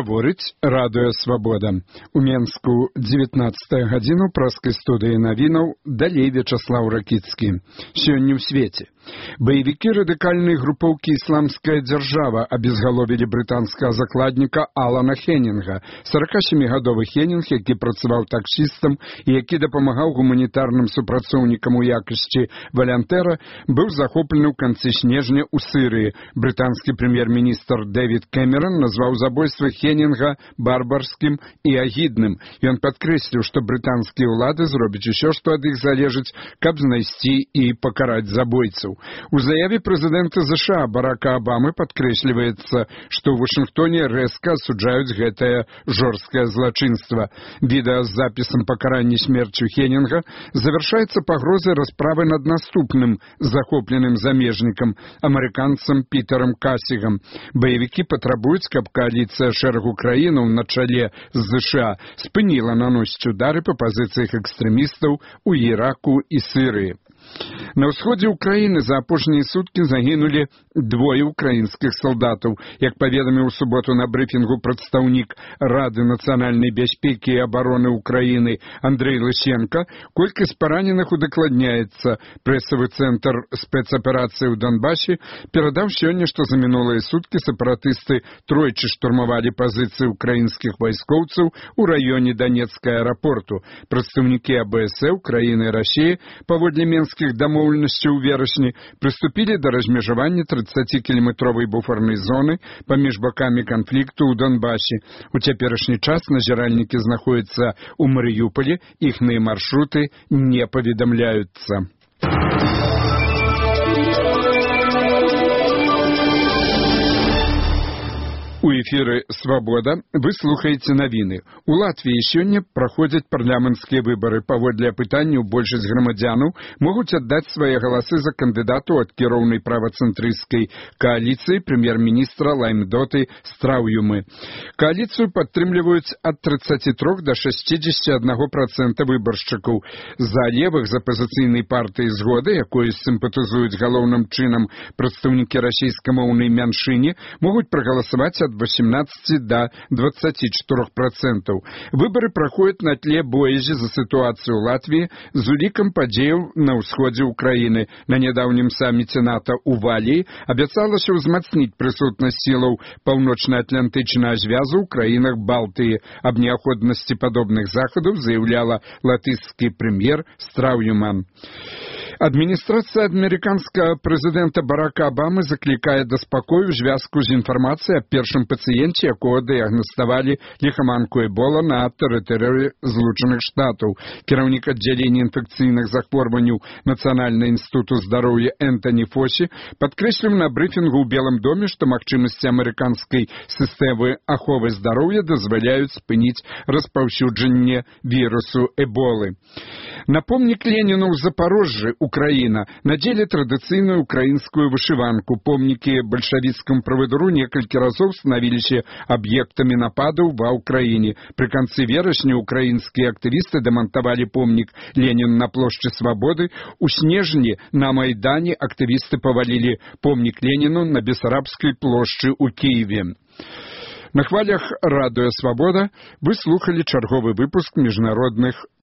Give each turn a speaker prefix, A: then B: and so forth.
A: Гаворыць радыё «Свабода». У Менску 19 гадзіну праскай студыі навінаў далей Вячаслаў Ракіцкі. Сёння ў свеце. Баевікі радыкальнай групоўкі «Ісламская дзяржава» абезгаловілі брытанскага закладніка Алана Хеннінга, 47-гадовы Хеннінг, які працаваў таксістам і які дапамагаў гуманітарным супрацоўнікам у якасці валянтэра, быў захоплены ў канцы снежня ў Сырыі. Брытанскі прэм'ер-міністр Дэвід Кэмерон назваў забойства Хеннінга барбарскім і агідным. Ён падкрэсліў, што брытанскія ўлады зробяць усё, што ад іх залежыць, каб знайсці і пакараць забойцаў. У заяве прэзідэнта США Барака Абамы падкрэсліваецца, што ў Вашынгтоне рэзка асуджаюць гэтае жорсткае злачынства. Відэа з запісам пакарання смерцю Хеннінга завяршаецца пагрозай расправы над наступным захопленым замежнікам, амерыканцам Пітерам Касігам. Баевікі патрабуюць, каб коаліцыя шэрагу краінаў на чале з США спыніла наносіць удары па пазіцыях экстрэмістаў у Іраку і Сірыі. На ўсходзе ўкраіны за апошнія суткі загінулі 2 украінскіх салдатаў. Як паведаміў у суботу на брыфінгу прадстаўнік Рады нацыянальнай бяспекі і абароны ўкраіны Андрэй Лысенко, колькасць параненых удакладняецца. Прэсавы цэнтр спецаперацыі ў Донбасе перадаў сёння, што за мінулыя суткі сепаратысты тройчы штурмавалі пазіцыі украінскіх вайскоўцаў у раёне Донецкага аэрапорту. Прадстаўнікі АБС краіны Расіі паводле менскіх дамоўленасцяў у верасні прыступілі да размежавання 30-кіламетровай буфернай зоны паміж бакамі канфлікту ў Донбасе. У цяперашні час назіральнікі знаходзяцца ў Марыюполі, іхныя маршруты не паведамляюцца. У эфіры «Свабода» вы слухаеце навіны. У Латвіі сёння праходзяць парламенцкія выбары. Паводле апытанняў большасць грамадзянаў могуць аддаць свае галасы за кандыдату ад кіроўнай правацэнтрысцкай кааліцыі прэм'ер-міністра Лаймдоты Страўюмы. Кааліцыю падтрымліваюць ад 33 до 61% выбаршчыкаў. За левых з апазіцыйнай партыі «Згода», якой сімпатызуюць галоўным чынам прадстаўнікі расійскамоўнай мяншыні, могуць прагаласаваць ад 18 до 24%. Выборы проходят на тле боязі за ситуацию в Латвии з улікам падзеяў на ўсходзе Украины. На недавнем саммите НАТО у Валіі абяцалася ўзмацніць прысутнасць сілаў паўночна-атлантычнага звязу ў краінах Балтыі. Аб неабходнасці падобных захадаў заяўляла латышскі прэм'ер Страўюман. Адміністрацыя амерыканскага прэзідэнта Барака Абамы заклікае да спакою ў звязку з інфармацыяй аб першым пацыенце, якога дыягнаставалі ліхаманку Эбола на тэрыторыі Злучаных Штатаў. Кіраўнік аддзялення інфекцыйных захворванняў Нацыянальнага інстытуту здароўя Энтані Фосі падкрэсліў на брыфінгу ў Белым доме, што магчымасці амерыканскай сістэмы аховы здароўя дазваляюць спыніць распаўсюджанне вірусу Эболы. На помнік Леніну ў Запорожжы, Украіна, надзелі традыцыйную украінскую вышыванку. Помнікі бальшавіцкаму правадыру некалькі разоў станавіліся аб'ектамі нападаў ва ўкраіне. Пры канцы верасня украінскія актывісты дамантавалі помнік Леніну на плошчы Свабоды. У снежні на Майдане актывісты павалілі помнік Леніну на Бесарабскай плошчы ў Кіеве. На хвалях радыё «Свабода» вы слухалі чарговы выпуск міжнародных